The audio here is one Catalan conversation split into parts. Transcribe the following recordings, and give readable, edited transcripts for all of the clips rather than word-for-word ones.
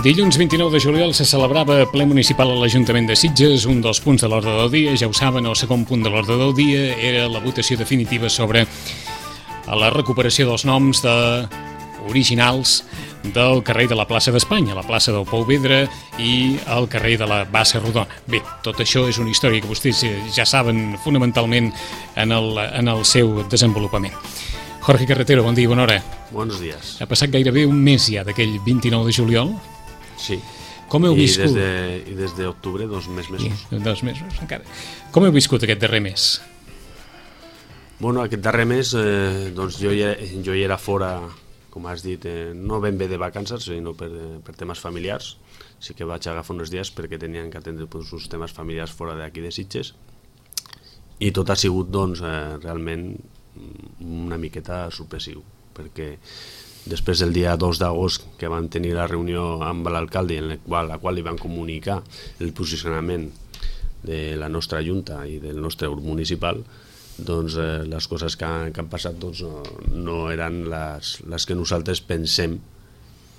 Dilluns 29 de juliol se celebrava ple municipal a l'Ajuntament de Sitges. Un dels punts de l'ordre del dia, ja ho saben, el segon punt de l'ordre del dia era la votació definitiva sobre la recuperació dels noms originals del carrer de la plaça d'Espanya, la plaça del Pou Vedra i el carrer de la Bassa Rodona. Bé, tot això és una història que vostès ja saben fonamentalment en el seu desenvolupament. Jorge Carretero, bon dia i bona hora. Buenos días. Ha passat gairebé un mes ja d'aquell 29 de juliol. Sí. Com heu viscut? I des d'octubre, 2 mesos. Sí, 2 mesos, encara. Com heu viscut aquest darrer mes? Bueno, aquest darrer mes, doncs jo hi era fora, com has dit, no ben bé de vacances, sinó per temes familiars. Sí que vaig agafar uns dies perquè tenien que atendre uns temes familiars fora d'aquí de Sitges. I tot ha sigut, doncs, realment una miqueta sorpresiu, perquè després del dia 2 d'agost que vam tenir la reunió amb l'alcalde en la qual li van comunicar el posicionament de la nostra junta i del nostre grup municipal, doncs les coses que han passat doncs, no eren les que nosaltres pensem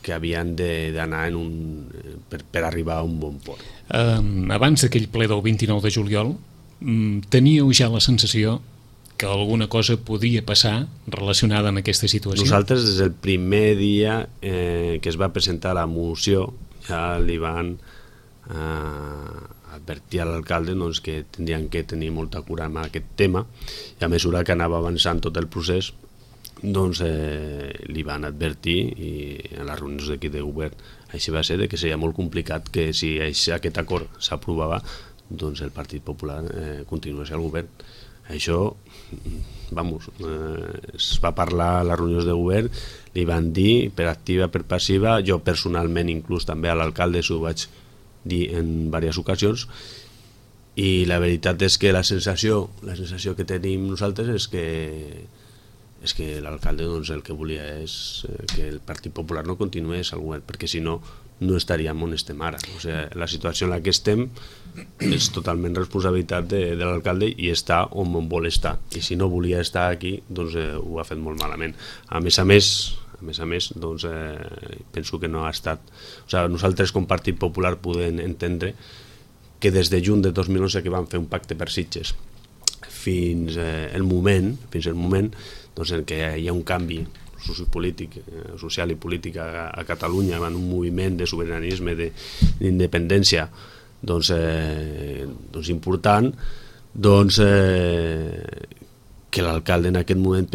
que havien d'anar per arribar a un bon port. Abans d'aquell ple del 29 de juliol, teníeu ja la sensació que alguna cosa podia passar relacionada amb aquesta situació? Nosaltres, des del primer dia que es va presentar la moció, ja li van advertir a l'alcalde doncs, que tindrien que tenir molta cura amb aquest tema, i a mesura que anava avançant tot el procés, doncs li van advertir, i en les reunions d'aquí de govern així va ser, que seria molt complicat que si aquest acord s'aprovava, doncs el Partit Popular continués al govern. Això, es va parlar a les reunions de govern, li van dir per activa, per passiva, jo personalment inclús també a l'alcalde s'ho vaig dir en diverses ocasions, i la veritat és que la sensació que tenim nosaltres és que l'alcalde doncs, el que volia és que el Partit Popular no continués al govern, perquè si no, no estaríem on estem ara. O sigui, la situació en la que estem és totalment responsabilitat de l'alcalde i està on vol estar, i si no volia estar aquí doncs ho ha fet molt malament. A més a més doncs, penso que no ha estat, o sigui, nosaltres com Partit Popular podem entendre que des de juny de 2011 que vam fer un pacte per Sitges fins el moment doncs, en què hi ha un canvi social i polític a Catalunya, en un moviment de sobiranisme, d'independència doncs important, doncs que l'alcalde en aquest moment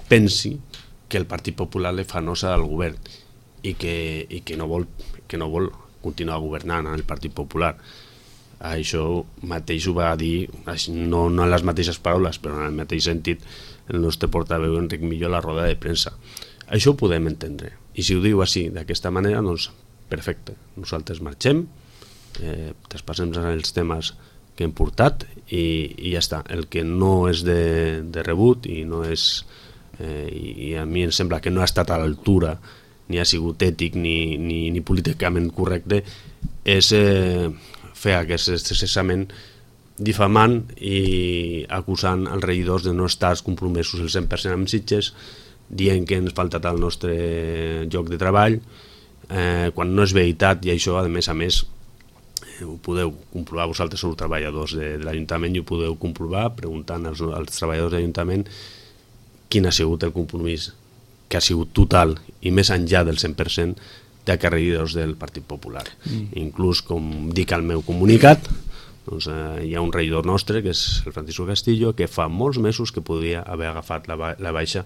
pensi que el Partit Popular li fa nosa al govern i que no vol continuar governant el Partit Popular. Això mateix ho va dir, no en les mateixes paraules, però en el mateix sentit, el nostre portaveu Enric Millo a la roda de premsa. Això ho podem entendre, i si ho diu així, d'aquesta manera, doncs perfecte, nosaltres marxem, traspassem els temes que hem portat i ja està. El que no és de rebut i no és, i a mi em sembla que no ha estat a l'altura, ni ha sigut ètic ni políticament correcte, és fer aquest cessament difamant i acusant els regidors de no estar compromesos el 100% amb Sitges, dient que ens falta el nostre lloc de treball, quan no és veritat, i això a més ho podeu comprovar, vosaltres sou treballadors de l'Ajuntament i ho podeu comprovar preguntant als treballadors de l'Ajuntament quin ha sigut el compromís, que ha sigut total i més enllà del 100% de regidors del Partit Popular. Inclús, com dic al meu comunicat, doncs, hi ha un regidor nostre, que és el Francisco Castillo, que fa molts mesos que podria haver agafat la baixa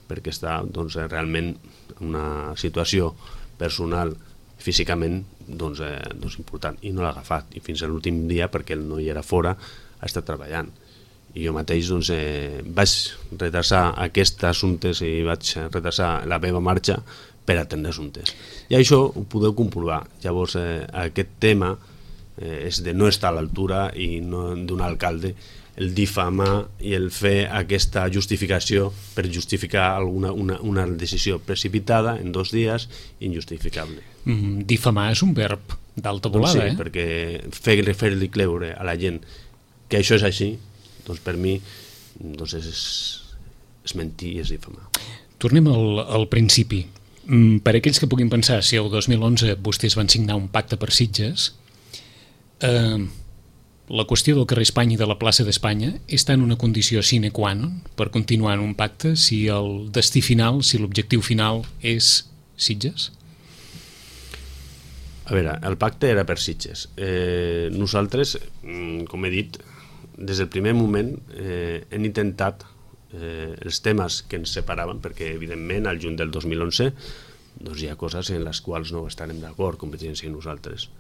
perquè està doncs, realment en una situació personal, físicament important, i no l'ha agafat, i fins a l'últim dia, perquè ell no hi era fora, ha estat treballant. I jo mateix vaig retrasar aquests assumptes i vaig retrasar la meva marxa per atendre assumptes. I això ho podeu comprovar. Llavors, aquest tema és de no estar a l'altura i no d'un alcalde el difamar i el fer aquesta justificació per justificar una decisió precipitada en 2 dies injustificable. Difamar és un verb d'alta volada, sí, perquè fer-li creure a la gent que això és així, doncs per mi és mentir i és difamar. Tornem al principi. Per aquells que puguin pensar si el 2011 vostès van signar un pacte per Sitges, la qüestió del carrer Espanya i de la plaça d'Espanya està en una condició sine qua non per continuar en un pacte si el destí final, si l'objectiu final és Sitges? A veure, el pacte era per Sitges. Nosaltres, com he dit, des del primer moment hem intentat els temes que ens separaven, perquè evidentment al juny del 2011 doncs hi ha coses en les quals no estarem d'acord, Convergència i nosaltres.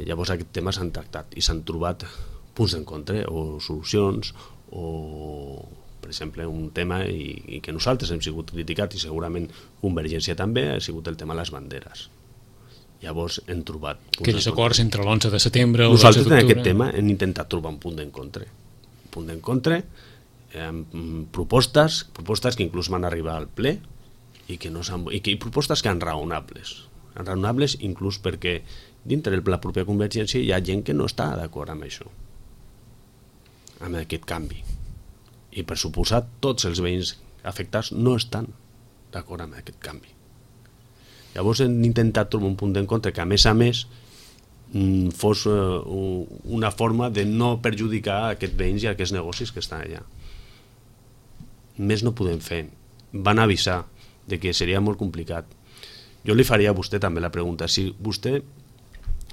Llavors aquests temes s'han tractat i s'han trobat punts d'encontre o solucions, o per exemple un tema i que nosaltres hem sigut criticats i segurament Convergència també, ha sigut el tema de les banderes. Llavors hem trobat aquells acords entre l'11 de setembre o nosaltres l'11 d'octubre. En aquest tema hem intentat trobar un punt d'encontre amb propostes que inclús van arribar al ple i propostes que han raonables inclús perquè dintre de la pròpia Convergència hi ha gent que no està d'acord amb això, amb aquest canvi, i per suposat tots els veïns afectats no estan d'acord amb aquest canvi. Llavors hem intentat trobar un punt d'encontre que a més fos una forma de no perjudicar aquests veïns i aquests negocis que estan allà. Més no podem fer. Van avisar de que seria molt complicat. Jo li faria a vostè també la pregunta, si vostè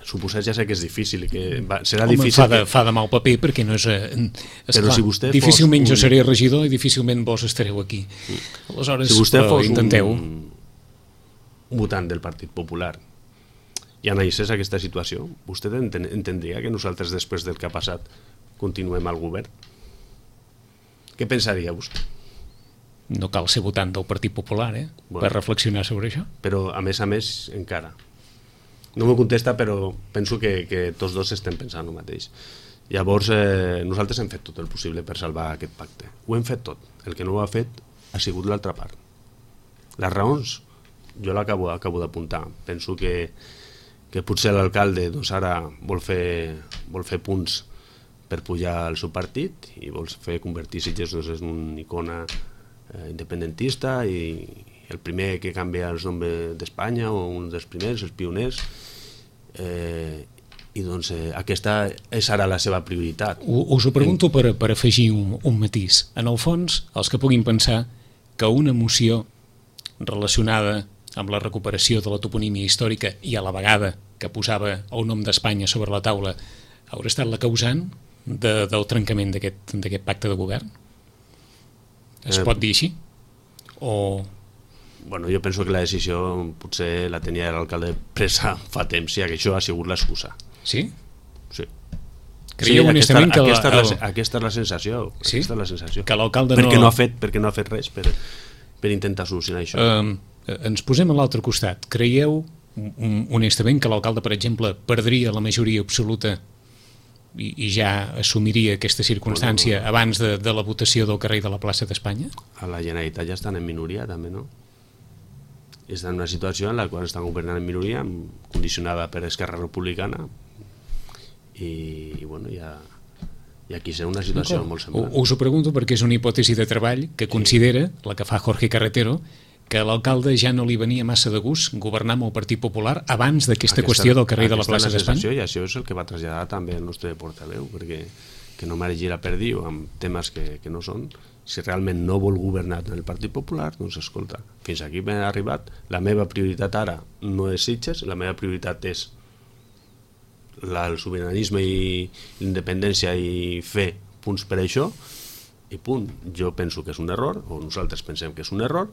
suposés, ja sé que és difícil i que serà difícil... Fa de mal paper perquè no és... Però si vostè difícilment jo seré regidor i difícilment vos estareu aquí. Aleshores, si vostè fos intenteu... un votant del Partit Popular i analitzés aquesta situació, vostè entendria que nosaltres després del que ha passat continuem al govern? Què pensaria vostè? No cal ser votant del Partit Popular, per reflexionar sobre això. Però a més encara no m'ho contesta, però penso que tots dos estem pensant el mateix. Llavors nosaltres hem fet tot el possible per salvar aquest pacte, ho hem fet tot. El que no ho ha fet ha sigut l'altra part. Les raons jo l'acabo d'apuntar. Penso que potser l'alcalde doncs ara vol fer punts per pujar al seu partit i vol fer convertir Sitges en una icona independentista i el primer que canvia el nom d'Espanya, o un dels primers, els pioners, i doncs aquesta és ara la seva prioritat. Us ho pregunto per afegir un matís. En el fons, els que puguin pensar que una moció relacionada amb la recuperació de la toponímia històrica i a la vegada que posava el nom d'Espanya sobre la taula haurà estat la causant del trencament d'aquest pacte de govern? Es pot dir així? O... Bueno, jo penso que la decisió potser la tenia l'alcalde presa fa temps i això ha sigut l'excusa. Sí? Sí. Creieu honestament que... Aquesta és la sensació. Sí? Aquesta és la sensació. Que l'alcalde perquè no ha fet res per intentar solucionar això. Ens posem a l'altre costat. Creieu honestament que l'alcalde, per exemple, perdria la majoria absoluta i ja assumiria aquesta circumstància abans de la votació del carrer de la plaça d'Espanya? A la Generalitat ja estan en minoria també, no? Estan en una situació en la qual estan governant en minoria, condicionada per Esquerra Republicana, i bueno, hi ha aquí serà una situació molt semblant. Us ho pregunto perquè és una hipòtesi de treball que considera, la que fa Jorge Carretero, que l'alcalde ja no li venia massa de gust governar amb el Partit Popular abans d'aquesta qüestió del carrer de la plaça d'Espanya? I això és el que va traslladar també el nostre portaveu, perquè que no m'hagi la perdiu amb temes que no són. Si realment no vol governar en el Partit Popular, doncs escolta, fins aquí m'he arribat, la meva prioritat ara no és Sitges, la meva prioritat és el sobiranisme i l'independència i fer punts per això, i punt. Jo penso que és un error, o nosaltres pensem que és un error,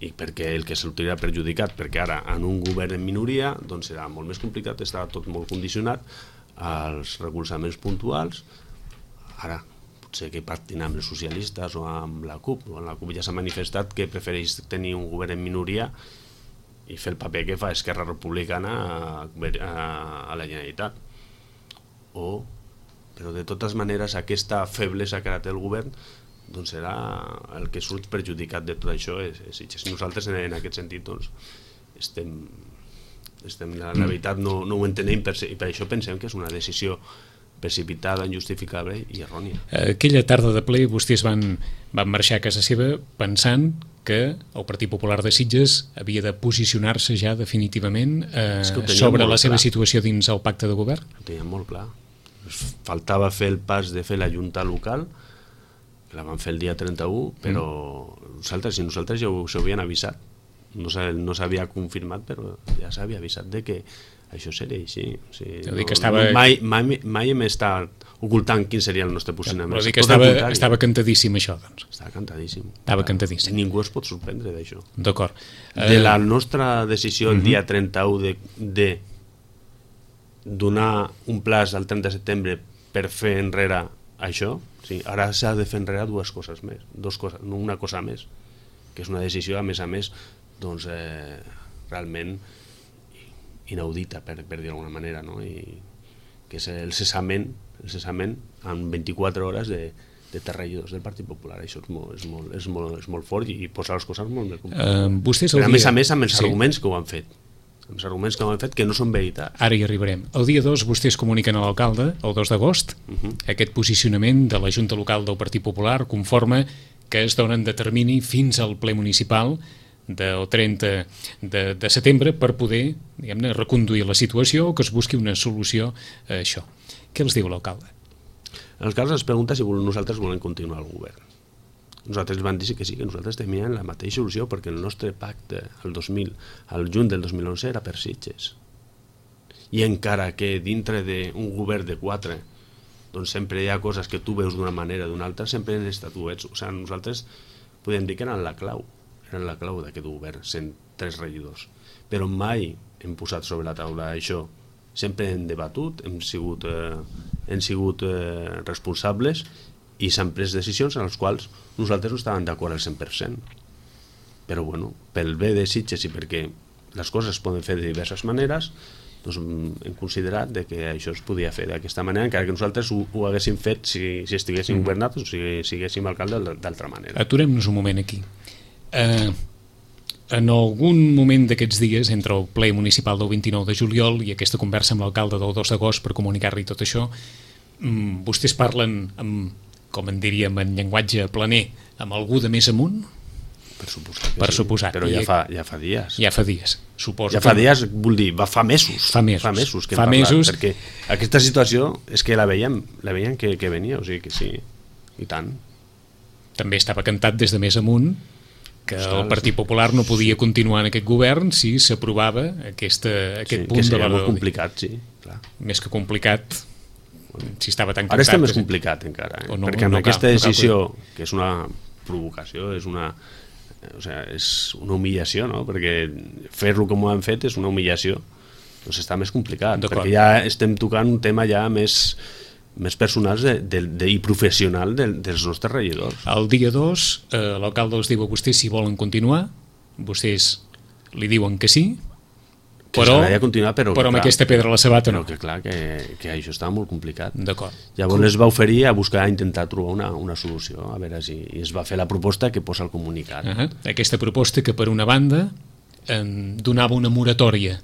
i perquè el que sortirà perjudicat, perquè ara en un govern en minoria doncs serà molt més complicat, estarà tot molt condicionat als recolzaments puntuals. Ara potser que pactin amb els socialistes o amb la CUP, o la CUP ja s'ha manifestat que prefereix tenir un govern en minoria i fer el paper que fa Esquerra Republicana a la Generalitat. Però de totes maneres aquesta feblesa que ara té el govern doncs serà el que surt perjudicat de tot això. Nosaltres en aquest sentit doncs la veritat no ho entenem, i per això pensem que és una decisió precipitada, injustificable i errònia. Aquella tarda de ple vostès van marxar a casa seva pensant que el Partit Popular de Sitges havia de posicionar-se ja definitivament sobre la seva situació dins el pacte de govern? Ho teníem molt clar. Faltava fer el pas de fer la junta local, que la van fer el dia 31, però nosaltres ja s'havien avisat. No s'havia confirmat, però ja s'havia avisat de que això seria així. O sigui, mai hem estat ocultant quin seria el nostre posicionament. Però dir que estava cantadíssim això, doncs. Estava cantadíssim. Estava cantadíssim. Ningú es pot sorprendre d'això. D'acord. De la nostra decisió el dia 31 de donar un plaç al 30 de setembre per fer enrere això, sí, ara s'ha de fer enrere dues coses més, una cosa més, que és una decisió, a més, doncs, realment inaudita, per dir d'alguna manera, no? I que és el cessament en 24 hores de regidors del Partit Popular. Això és molt fort i posar les coses molt més complicades. A més, amb els arguments que ho han fet. Amb els arguments que ho han fet que no són veritat. Ara hi arribarem. El dia 2 vostès comuniquen a l'alcalde, el 2 d'agost, aquest posicionament de la Junta Local del Partit Popular conforme que es donen de termini fins al ple municipal del 30 de setembre per poder, diguem-ne, reconduir la situació o que es busqui una solució a això. Què els diu l'alcalde? L'alcalde ens pregunta si nosaltres volem continuar al govern. Nosaltres van dir que sí, que nosaltres temíem la mateixa solució perquè el nostre pacte al juny del 2011 era per Sitges. I encara que dintre d'un govern de 4 doncs sempre hi ha coses que tu veus d'una manera o d'una altra, sempre en estatuets. O sigui, nosaltres podem dir que eren la clau d'aquest govern, sent 3 regidors. Però mai hem posat sobre la taula això. Sempre hem debatut, hem sigut responsables i s'han pres decisions en les quals nosaltres no estàvem d'acord al 100%. Però bueno, pel bé de Sitges i perquè les coses es poden fer de diverses maneres, doncs hem considerat que això es podia fer d'aquesta manera, encara que nosaltres ho haguéssim fet si estiguéssim governats o si siguéssim alcalde d'altra manera. Aturem-nos un moment aquí. En algun moment d'aquests dies, entre el ple municipal del 29 de juliol i aquesta conversa amb l'alcalde del 2 d'agost per comunicar-li tot això, vostès parlen, com en diríem en llenguatge planer, amb algú de més amunt? Per suposat. Però ja fa dies. Ja fa dies, suposo. Ja fa dies, vull dir, fa mesos. Fa mesos que hem parlat, perquè aquesta situació és que la veiem que venia, o sigui que sí, i tant. També estava cantat des de més amunt que el Partit Popular no podia continuar en aquest govern si s'aprovava aquest punt de l'ordre del dia. Que seria molt complicat, sí. Més que complicat, si estava tan cantat... Ara està més complicat encara, perquè amb aquesta decisió, que és una provocació, és una humillació, no? Perquè fer-lo com ho han fet és una humillació, doncs està més complicat, perquè ja estem tocant un tema ja més personals i professional dels nostres regidors. El dia 2 l'alcalde els diu a vostès si volen continuar, vostès li diuen que sí, però amb aquesta pedra a la sabata no. Però que clar, que això estava molt complicat. D'acord. Llavors es va oferir a intentar trobar una solució, a veure si es va fer la proposta que posa el comunicat. Aquesta proposta que per una banda donava una moratòria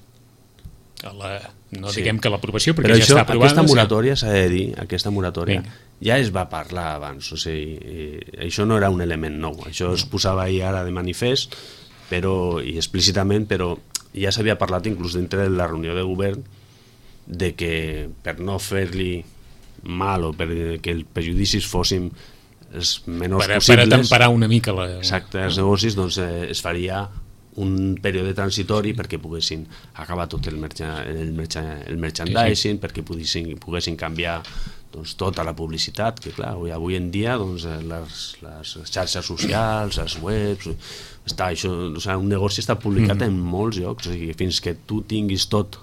no diguem que l'aprovació, perquè ja està aprovada. Aquesta moratòria, s'ha de dir, aquesta moratòria ja es va parlar abans, o sigui, això no era un element nou, això es posava ahir ara de manifest i explícitament, però ja s'havia parlat inclús dintre de la reunió de govern de que per no fer-li mal o perquè els perjudicis fossin els menors possibles, per temperar una mica exacte, els negocis, doncs es faria un període transitori perquè poguessin acabar tot el merchandising, perquè poguessin canviar tota la publicitat, que clar, avui en dia les xarxes socials, les webs, un negoci està publicat en molts llocs, o sigui, fins que tu tinguis tot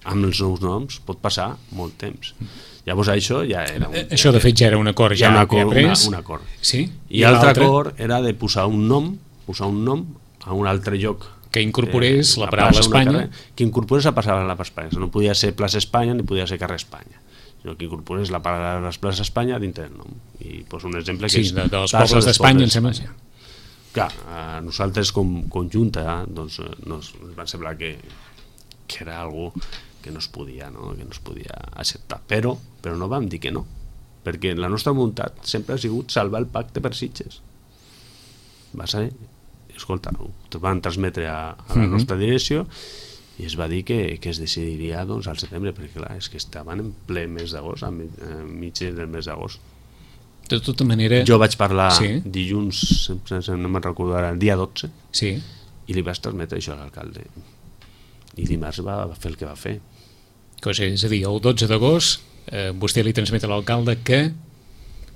amb els nous noms pot passar molt temps. Llavors això ja era això de fet ja era un acord un acord. I l'altre acord era de posar un nom a un altre lloc que incorporés la paraula Espanya, que incorporés la paraula Espanya. No podia ser plaça Espanya ni podia ser carrer Espanya, sinó que incorporés la paraula plaça Espanya dintre del nom. I poso un exemple que és dels pobles d'Espanya, em sembla. Clar, nosaltres com Junta doncs ens va semblar que era algo que no es podia acceptar, però no vam dir que no, perquè la nostra voluntat sempre ha sigut salvar el pacte per Sitges. Va ser escolta, ho van transmetre a la nostra direcció i es va dir que es decidiria doncs, al setembre, perquè clar, és que estaven en ple mes d'agost, mig del mes d'agost. De tota manera... Jo vaig parlar dilluns, no me'n recordo ara, el dia 12, i li vaig transmetre això a l'alcalde. I dimarts va fer el que va fer. És a dir, el 12 d'agost vostè li transmet a l'alcalde que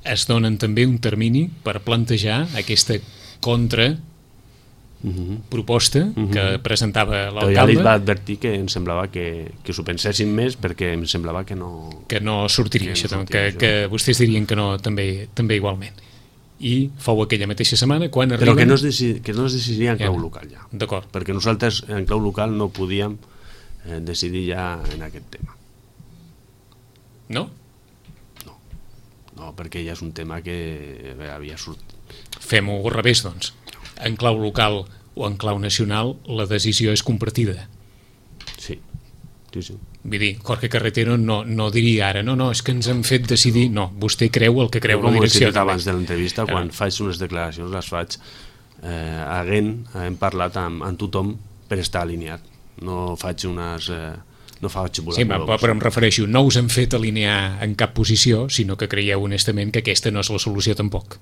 es donen també un termini per plantejar aquesta contraproposta que presentava l'alcalde. Però ja li va advertir que em semblava que s'ho pensessin més perquè em semblava que no... Que no sortiria això, que vostès dirien que no també igualment. I fou aquella mateixa setmana quan arriben... Però que no es decidiria en clau local ja. D'acord. Perquè nosaltres en clau local no podíem decidir ja en aquest tema. No? No, perquè ja és un tema que havia sortit. Fem-ho al revés, doncs. En clau local o en clau nacional la decisió és compartida. Sí. Vull dir, Jorge Carretero no diria ara, no, és que ens han fet decidir. No, vostè creu el que creu la direcció. Com he dit abans de l'entrevista, quan faig unes declaracions les faig hem parlat amb tothom per estar alineat. No faig unes... no faig volar. Sí, però em refereixo, no us han fet alinear en cap posició, sinó que creieu honestament que aquesta no és la solució tampoc.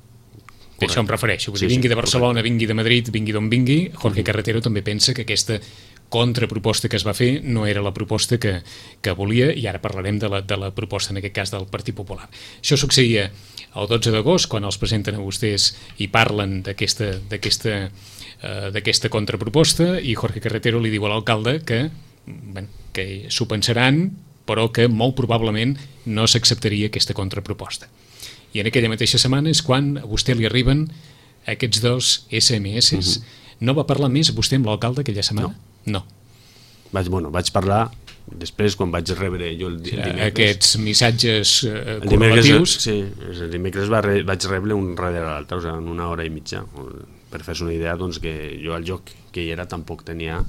D'això em refereixo. Vingui de Barcelona, vingui de Madrid, vingui d'on vingui, Jorge Carretero també pensa que aquesta contraproposta que es va fer no era la proposta que volia, i ara parlarem de la proposta, en aquest cas, del Partit Popular. Això succeïa el 12 d'agost, quan els presenten a vostès i parlen d'aquesta contraproposta, i Jorge Carretero li diu a l'alcalde que s'ho pensaran, però que molt probablement no s'acceptaria aquesta contraproposta. I en aquella mateixa setmana és quan a vostè li arriben aquests 2 SMS. No va parlar més vostè amb l'alcalde aquella setmana? No. Vaig parlar després, quan vaig rebre jo el dimecres. Aquests missatges correlatius. Sí, el dimecres vaig rebre un darrere l'altre, en una hora i mitja. Per fer-se una idea, doncs, que jo al lloc que hi era tampoc tenia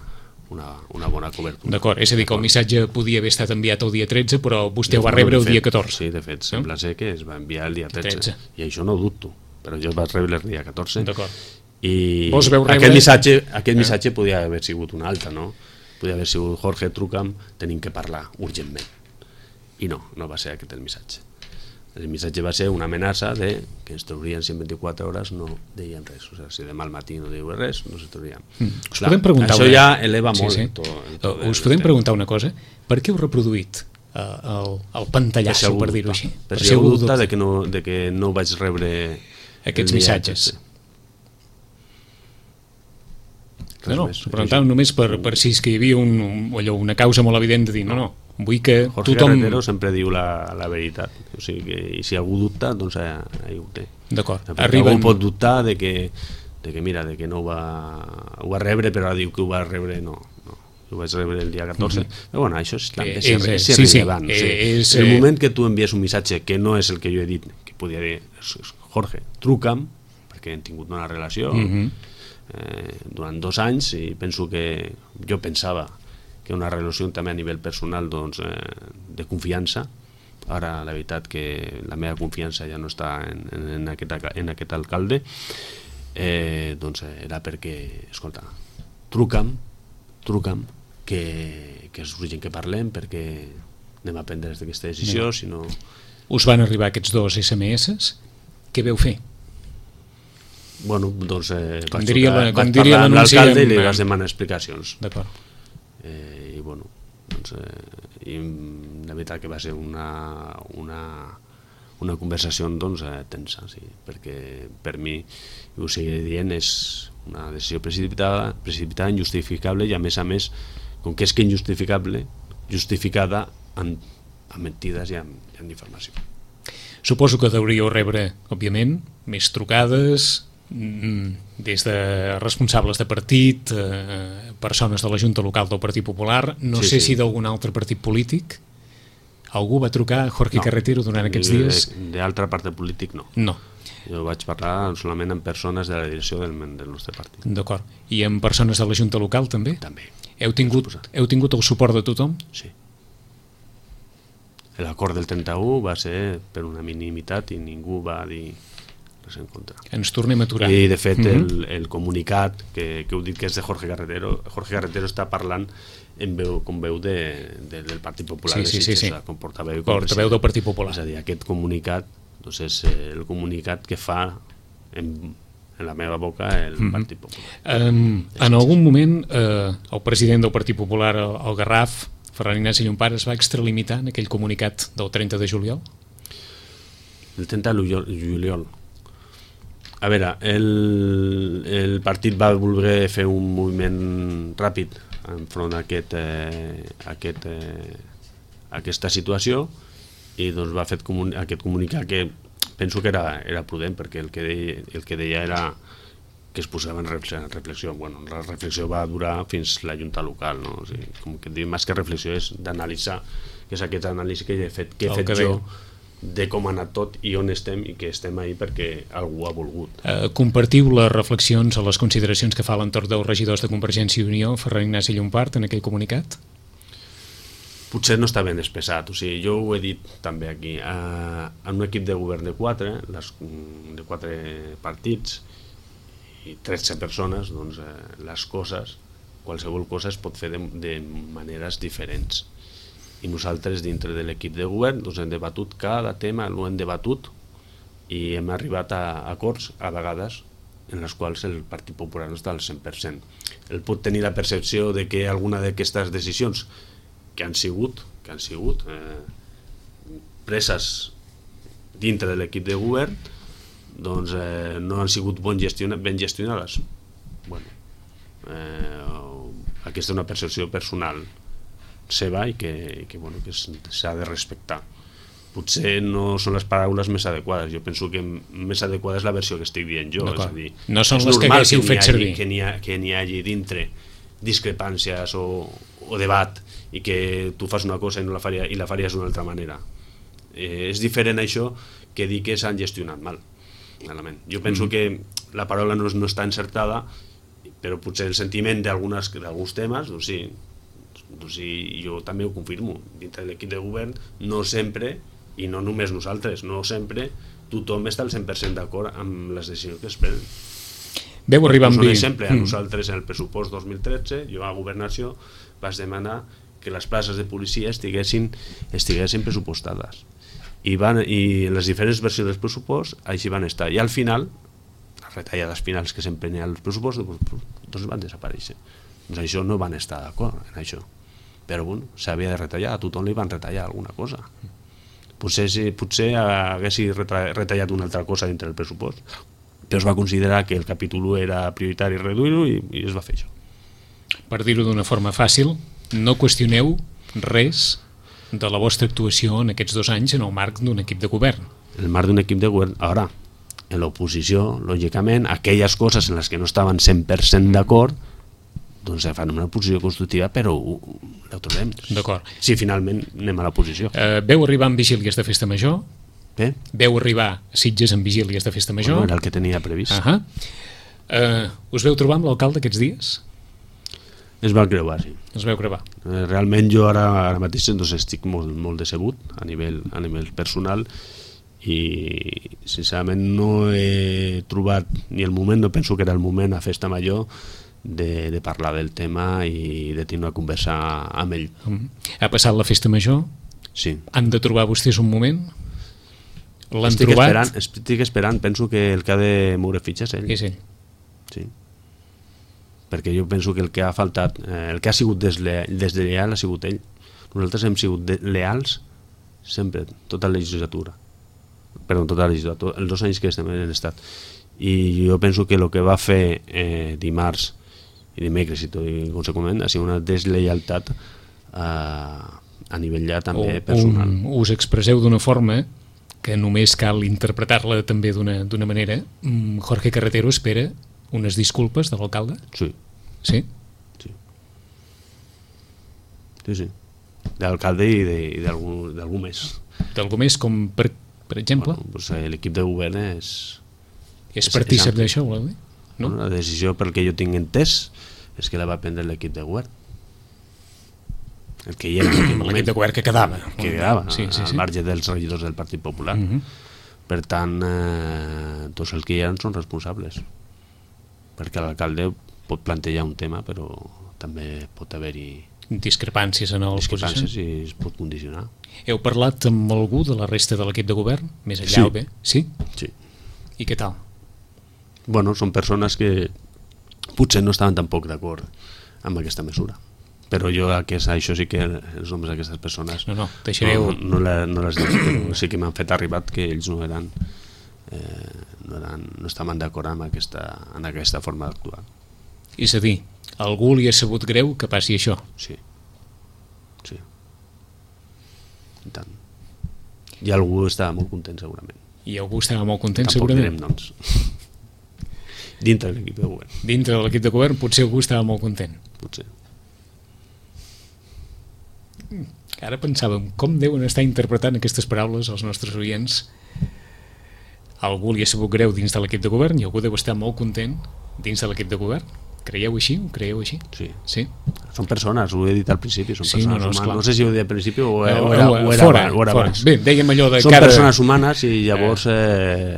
una bona cobertura. D'acord, és a dir, que el missatge podia haver estat enviat el dia 13, però vostè ho va rebre el dia 14. Sí, de fet, sembla ser que es va enviar el dia 13. I això no ho dubto, però jo el vaig rebre el dia 14. D'acord. I aquest missatge podia haver sigut un altre, no? Podia haver sigut Jorge, truca'm, tenim que parlar urgentment. I no va ser aquest el missatge. El missatge va ser una amenaça de que ens trobarien si en 24 hores no deien res. O sigui, si demà al matí no diu res, no se trobarien. Això ja eleva molt. Us podem preguntar una cosa? Per què heu reproduït el pantallasso, per dir-ho així? Per si algú dubta de que no vaig rebre aquests missatges. No, preguntàvem només per si és que hi havia una causa molt evident de dir no, vull que Jorge tothom... Carretero sempre diu la veritat, o sigui que si algú dubta, doncs ahí ho té. D'acord. Algú pot dubtar de que no ho va rebre, però ara diu que ho va rebre, no, ho vaig rebre el dia 14. Però bueno, això és irrellevant. El moment que tu envies un missatge que no és el que jo he dit, que podia dir Jorge, truca'm, perquè hem tingut una relació durant 2 anys, i penso que jo pensava que una relació també a nivell personal, doncs, de confiança. Ara la veritat que la meva confiança ja no està en aquest alcalde, doncs era perquè, escolta, truca'm, que és urgent que parlem, perquè anem a prendre aquesta decisió, si no... Us van arribar aquests 2 SMS? Què veu fer? Bueno, doncs vaig parlar amb l'alcalde i li vaig demanar explicacions. D'acord. I bueno, doncs i la veritat que va ser una conversació, doncs, tensa, sí, perquè per mi, ho seguiré dient, és una decisió precipitada, injustificable, i a més, com que és que injustificable, justificada amb mentides i amb informació. Suposo que deuríeu rebre, òbviament, més trucades des de responsables de partit, persones de la Junta Local del Partit Popular, no sé si d'algun altre partit polític. Algú va trucar a Jorge Carretero durant aquests dies? D'altre partit polític no. Jo vaig parlar solament amb persones de la direcció del nostre partit. D'acord. I amb persones de la Junta Local també? També. Heu tingut el suport de tothom? Sí. L'acord del 31 va ser per unanimitat i ningú va dir res en contra. Ens tornem a aturar. I de fet el comunicat que heu dit que és de Jorge Carretero està parlant com veu del Partit Popular de Sitges, com portaveu del Partit Popular. És a dir, aquest comunicat doncs és el comunicat que fa en la meva boca el Partit Popular. En algun moment el president del Partit Popular, el Garraf, Ferran Ignasi Llompart, es va extralimitar en aquell comunicat del 30 de juliol? El 30 de juliol. A veure, el partit va voler fer un moviment ràpid enfront a aquesta situació i doncs va fer aquest comunicat que penso que era prudent, perquè el que deia era que es posava en reflexió. Bueno, la reflexió va durar fins la Junta local, no? O sigui, com que dic, més que reflexió és d'analitzar, que és aquest anàlisi que he fet jo de com ha anat tot i on estem, i que estem ahí perquè algú ha volgut. Compartiu les reflexions o les consideracions que fa l'entorn dels regidors de Convergència i Unió, Ferran Ignasi Llompart, en aquell comunicat? Potser no està ben expressat. O sigui, jo ho he dit també aquí. En un equip de govern de 4 partits i 13 persones, doncs les coses, qualsevol cosa es pot fer de maneres diferents. I nosaltres dintre de l'equip de govern doncs hem debatut cada tema, l'ho hem debatut i hem arribat a acords a vegades en les quals el Partit Popular no està al 100%. El pot tenir la percepció de que alguna d'aquestes decisions que han sigut preses dintre de l'equip de govern doncs no han sigut ben gestionades. Bueno, aquesta és una percepció personal seva i que s'ha de respectar. Potser no són les paraules més adequades. Jo penso que més adequada és la versió que estic dient jo. És a dir, no són les que haguéssiu fet servir. Que n'hi hagi dintre discrepàncies o debat i que tu fas una cosa i la faries d'una altra manera. És diferent això que dir que s'han gestionat malament. Jo penso que la paraula no està encertada, però potser el sentiment d'alguns temes, doncs sí, jo també ho confirmo. Dintre de l'equip de govern no sempre, i no només nosaltres, no sempre tothom està al 100% d'acord amb les decisions que es prenen. Veu arribar amb un exemple, a nosaltres en el pressupost 2013 jo a Governació vaig demanar que les places de policia estiguessin pressupostades i les diferents versions del pressupost així van estar, i al final les retallades finals que sempre n'hi ha als pressupostos doncs van desaparèixer. Doncs això no van estar d'acord en això, però bueno, s'havia de retallar, a tothom li van retallar alguna cosa. Potser haguessi retallat una altra cosa dintre del pressupost, però es va considerar que el capítol 1 era prioritari reduir-ho i es va fer això. Per dir-ho d'una forma fàcil, no qüestioneu res de la vostra actuació en aquests 2 anys en el marc d'un equip de govern. En el marc d'un equip de govern. Ara, en l'oposició, lògicament, aquelles coses en les que no estaven 100% d'acord doncs fan una posició constructiva, però la trobem. D'acord. Si finalment anem a la posició. Veu arribar amb vigílies de festa major? Bé? Veu arribar a Sitges amb vigílies de festa major? Bueno, era el que tenia previst. Us veu trobar amb l'alcalde aquests dies? Es va creuar, sí. Es veu creuar. Realment jo ara mateix doncs, estic molt decebut a nivell personal i sincerament no he trobat ni el moment, no penso que era el moment a festa major de parlar del tema i de tenir una conversa amb ell. Ha passat la festa major? Sí. Han de trobar vostès un moment? L'han trobat? Estic esperant, penso que el que ha de moure fitxes és ell. És ell? Sí. Perquè jo penso que el que ha faltat, el que ha sigut deslleial ha sigut ell. Nosaltres hem sigut leals sempre, tota la legislatura. Perdó, tota la legislatura, els 2 anys que estem en l'estat. I jo penso que el que va fer dimarts i dimecres i conseqüentment ha sigut una deslleialtat a nivell ja també personal. Us expresseu d'una forma que només cal interpretar-la també d'una manera. Jorge Carretero espera unes disculpes de l'alcalde? Sí. Sí? Sí. De l'alcalde i d'algú més. D'algú més, com per exemple? Bueno, doncs l'equip de govern és partícip d'això, vol dir? No? La decisió, pel que jo tinc entès, és que la va prendre l'equip de govern. El que hi era en aquell moment. L'equip de govern que quedava. Que quedava, al marge dels regidors del Partit Popular. Per tant, tots els que hi ha són responsables, perquè l'alcalde pot plantejar un tema, però també pot haver-hi discrepàncies en el discrepàncies i es pot condicionar. Heu parlat amb algú de la resta de l'equip de govern? Més enllà Sí. o bé? Sí? Sí. I què tal? Bueno, són persones que potser no estaven tampoc d'acord amb aquesta mesura, però jo això sí que els noms d'aquestes persones No, deixareu... no les dic, però sí que m'han fet arribat que ells no estaven d'acord amb aquesta forma d'actuar. És a dir, a algú li ha sabut greu que passi això? Sí. I tant. I algú estava molt content segurament. I algú estava molt content Tampoc segurament? direm noms. Dintre de l'equip de govern. Dintre de l'equip de govern potser algú estava molt content. Potser. Ara pensàvem com deuen estar interpretant aquestes paraules els nostres oients. Algú li ha sabut greu dins de l'equip de govern i algú deu estar molt content dins de l'equip de govern. Creieu així? Ho creieu així? Sí. Sí? Són persones, ho he dit al principi, són Sí, persones no, humanes. esclar. No sé si ho he dit al principi o era fora. abans. Bé, dèiem allò de Són cada... persones humanes i llavors...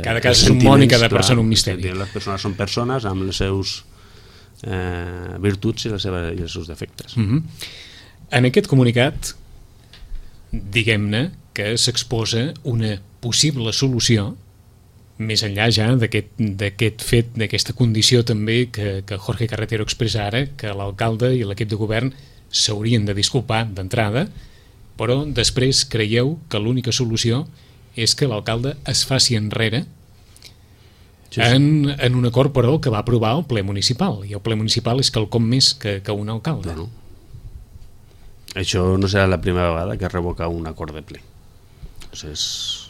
cada cas és un món i cada persona un misteri. Les persones són persones amb les seus virtuts i els seus defectes. En aquest comunicat, diguem-ne que s'exposa una possible solució més enllà ja d'aquest fet, d'aquesta condició també que Jorge Carretero expressa ara, que l'alcalde i l'equip de govern s'haurien de disculpar d'entrada, però després creieu que l'única solució és que l'alcalde es faci enrere en un acord, però, que va aprovar el ple municipal, i el ple municipal és quelcom més que un alcalde. Bueno, això no serà la primera vegada que es revoca un acord de ple. És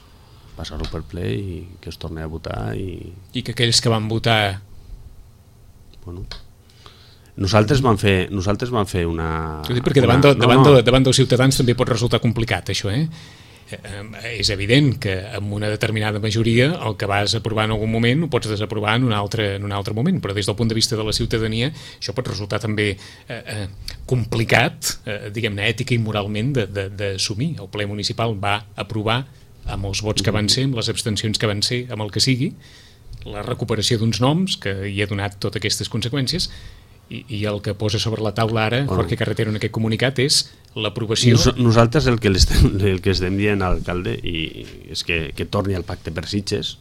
passar-ho per ple i que es torni a votar i que aquells que van votar... Bueno, nosaltres vam fer una... Ho dic perquè davant dels ciutadans també pot resultar complicat això, és evident que amb una determinada majoria el que vas aprovar en algun moment ho pots desaprovar en un altre moment, però des del punt de vista de la ciutadania això pot resultar també complicat, diguem-ne, ètica i moralment d'assumir. El ple municipal va aprovar amb els vots que van ser, amb les abstencions que van ser, amb el que sigui, la recuperació d'uns noms que hi ha donat totes aquestes conseqüències, i el que posa sobre la taula ara Jorge Carretero en aquest comunicat és l'aprovació... Nosaltres el que estem dient a l'alcalde és que torni al pacte per Sitges,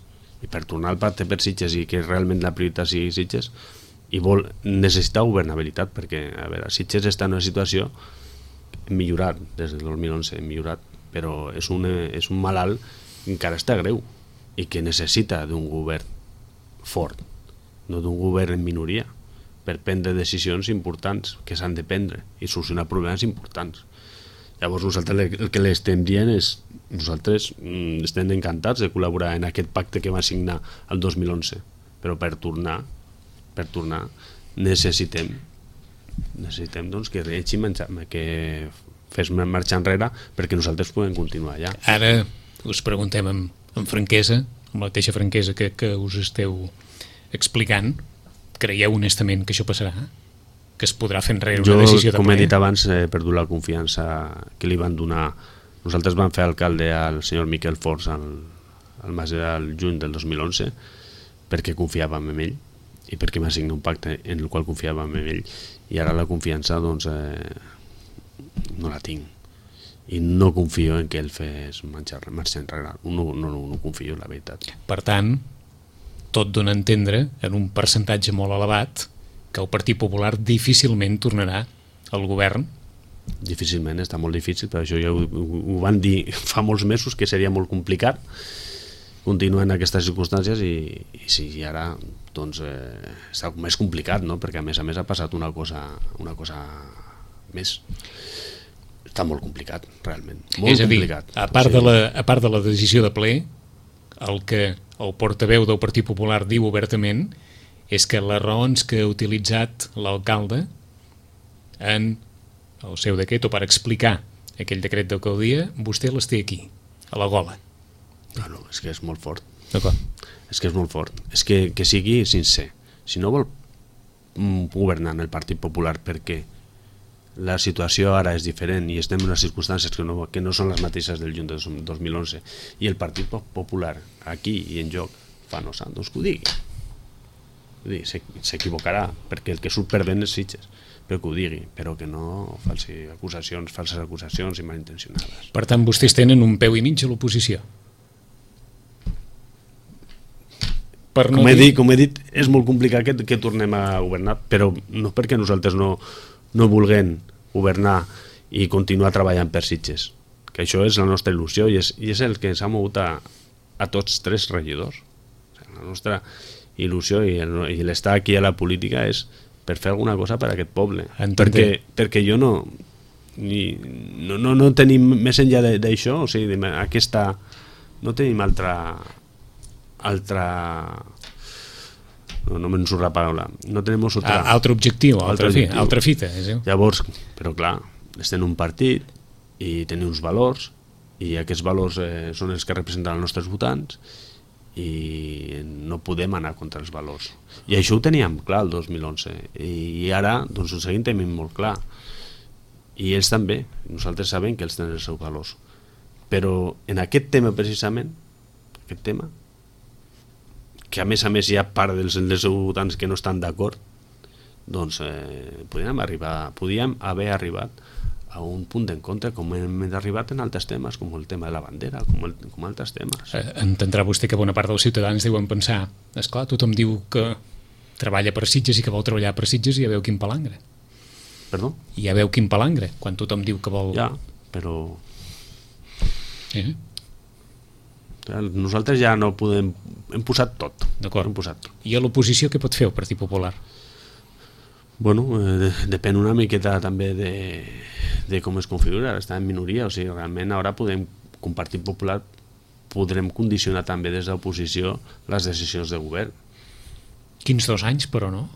i per tornar al pacte per Sitges i que realment la prioritat sigui Sitges, i necessita governabilitat, perquè a veure, Sitges està en una situació millorat des del 2011, millorat, però és un malalt que encara està greu i que necessita d'un govern fort, no d'un govern en minoria, per prendre decisions importants que s'han de prendre i solucionar problemes importants. Llavors nosaltres el que l'estem dient és nosaltres estem encantats de col·laborar en aquest pacte que va signar el 2011, però per tornar necessitem doncs, que fes marxa enrere perquè nosaltres podem continuar allà. Ara us preguntem amb franquesa, amb la mateixa franquesa que us esteu explicant, creieu honestament que això passarà? Que es podrà fer enrere una decisió de ple? Com he dit abans, he perdut la confiança que li van donar. Nosaltres vam fer alcalde al senyor Miquel Forns al juny del 2011 perquè confiàvem en ell i perquè m'ha signat un pacte en el qual confiàvem en ell, i ara la confiança doncs no la tinc i no confio en que ell fes marxa enrere. No confio, la veritat. Per tant, tot dona a entendre en un percentatge molt elevat que el Partit Popular difícilment tornarà al govern. Difícilment, està molt difícil, però això ja ho van dir fa molts mesos que seria molt complicat continuar en aquestes circumstàncies i sí, ara doncs està més complicat, no? Perquè a més ha passat una cosa més. Està molt complicat, realment. Molt complicat. A part de la decisió de ple, el que el portaveu del Partit Popular diu obertament és que les raons que ha utilitzat l'alcalde en el seu decret o per explicar aquell decret d'alcaldia, vostè les té aquí, a la gola. No, és que és molt fort. D'acord. És que és molt fort. És que sigui sincer. Si no vol governar en el Partit Popular perquè la situació ara és diferent i estem en unes circumstàncies que no són les mateixes del juny de 2011 i el Partit Popular aquí i en joc fa no sant, doncs que ho digui. S'equivocarà perquè el que surt perdent és Sitges, però que ho digui, però que no falses acusacions i malintencionades. Per tant, vostès tenen un peu i mig a l'oposició. Com he dit, és molt complicat que tornem a governar, però no perquè nosaltres no vulguem governar i continuar treballant per Sitges, que això és la nostra il·lusió i és el que ens ha mogut a tots tres regidors. La nostra il·lusió i l'estar aquí a la política és per fer alguna cosa per a aquest poble, perquè jo no tenim més enllà d'això, o sigui, aquesta no tenim altra no me'n surt la paraula, no tenim altre objectiu, altra fita. Llavors, però clar, estem en un partit i tenim uns valors i aquests valors són els que representen els nostres votants i no podem anar contra els valors, i això ho teníem clar el 2011 i ara doncs ho seguim tenint molt clar i ells també, nosaltres sabem que ells tenen els seus valors, però en aquest tema precisament, aquest tema que a més hi ha part dels seus votants que no estan d'acord, doncs podíem haver arribat a un punt d'encontre com hem arribat en altres temes, com el tema de la bandera, com altres temes. Entendrà vostè que bona part dels ciutadans deuen pensar, esclar, tothom diu que treballa per Sitges i que vol treballar per Sitges i ja veu quin palangre. Perdó? I ja veu quin palangre, quan tothom diu que vol... Ja, però... Nosaltres ja no podem... Hem posat tot. D'acord. I a l'oposició què pot fer el Partit Popular? Bueno, depèn una miqueta també de com es configura, està en minoria, o sigui, realment ara podem, com Partit Popular, podrem condicionar també des de l'oposició les decisions de govern. Quins 2 anys, però no?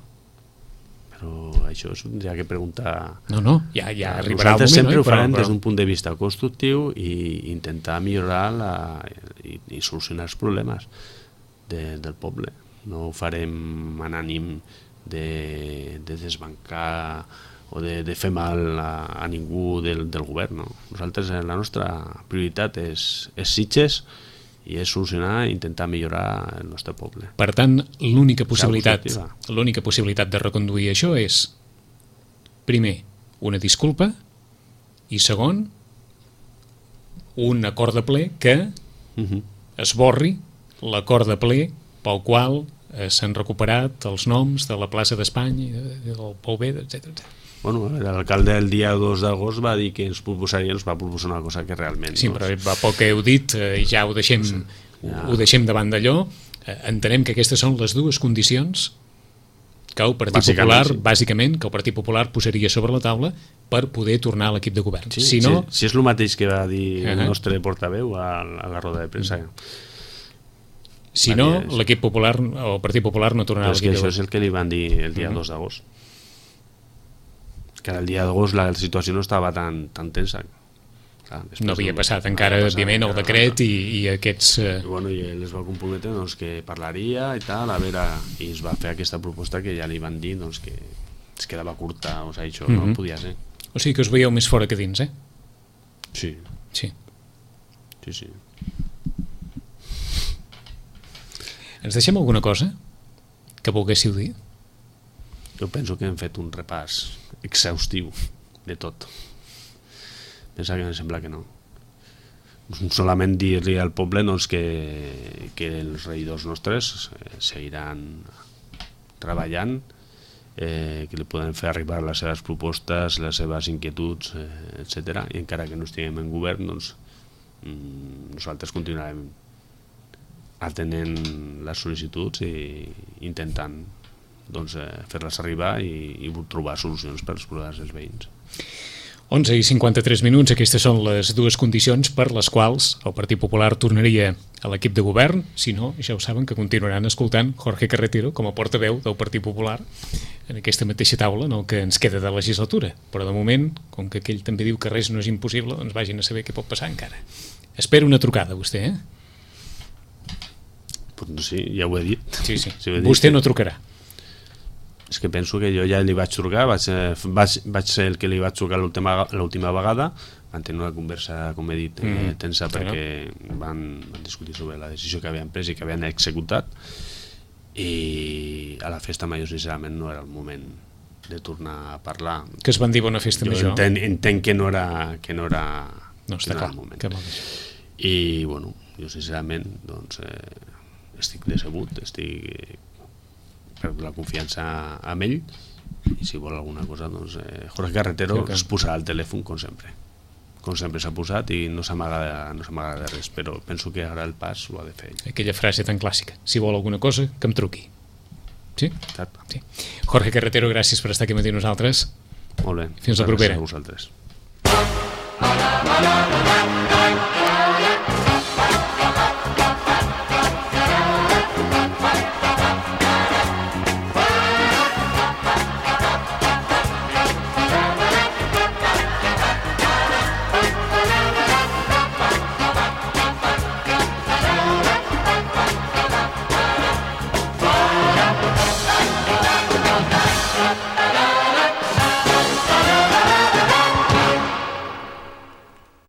Però això és ja que preguntar... No, ja arribarà el moment. Nosaltres sempre ho farem des d'un punt de vista constructiu i intentar millorar i solucionar els problemes del poble. No ho farem en ànim de desbancar o de fer mal a ningú del govern, no? Nosaltres, la nostra prioritat és Sitges i és solucionar i intentar millorar el nostre poble. Per tant, l'única possibilitat de reconduir això és, primer, una disculpa i segon, un acord de ple que esborri l'acord de ple pel qual s'han recuperat els noms de la plaça d'Espanya, del Pou B, etc. Bueno, l'alcalde el dia 2 d'agost va dir que ens va proposar una cosa que realment... Sí, però va poc que heu dit, ja ho deixem davant d'allò. Entenem que aquestes són les dues condicions que el Partit Popular, bàsicament, que el Partit Popular posaria sobre la taula per poder tornar a l'equip de govern. Si és el mateix que va dir el nostre portaveu a la roda de premsa. Si no, l'equip popular o el Partit Popular no tornarà a l'equip de govern. Això és el que li van dir el dia 2 d'agost. Que el dia d'agost la situació no estava tan tensa. No havia passat encara, òbviament, el decret i aquests... I ell es va comprometre que parlaria i tal, i es va fer aquesta proposta que ja li van dir que es quedava curta, o sigui, això no podia ser. O sigui que us veieu més fora que dins, eh? Sí. Ens deixem alguna cosa que volguéssiu dir? Jo penso que hem fet un repàs exhaustiu de tot. Pensa que em sembla que no. Solament dir-li al poble que els regidors nostres seguiran treballant, que li poden fer arribar les seves propostes, les seves inquietuds, etc. I encara que no estiguem en govern, nosaltres continuarem atenent les sol·licituds i intentant fer-les arribar i trobar solucions per als problemes dels veïns. 11:53, aquestes són les dues condicions per les quals el Partit Popular tornaria a l'equip de govern. Si no, ja ho saben que continuaran escoltant Jorge Carretero com a portaveu del Partit Popular en aquesta mateixa taula en el que ens queda de legislatura. Però de moment, com que aquell també diu que res no és impossible, doncs vagin a saber què pot passar encara. Espero una trucada, vostè, eh? Pues sí, ja ho he dit. Sí. Vostè no trucarà. És que penso que jo ja li vaig trucar, vaig ser el que li vaig trucar l'última vegada, van tenir una conversa, com he dit, tensa, perquè van discutir sobre la decisió que havien pres i que havien executat, i a la festa major sincerament no era el moment de tornar a parlar. Que es van dir bona festa major? Jo entenc que no era el moment. I bueno, jo sincerament doncs, estic decebut, estic per la confiança amb ell, i si vol alguna cosa doncs Jorge Carretero es posarà al telèfon com sempre s'ha posat, i no s'amaga de res, però penso que ara el pas ho ha de fer ell. Aquella frase tan clàssica, si vol alguna cosa que em truqui. Sí? Exacte. Sí. Jorge Carretero, gràcies per estar aquí amb nosaltres. Molt bé. Fins la propera. Gràcies a vosaltres.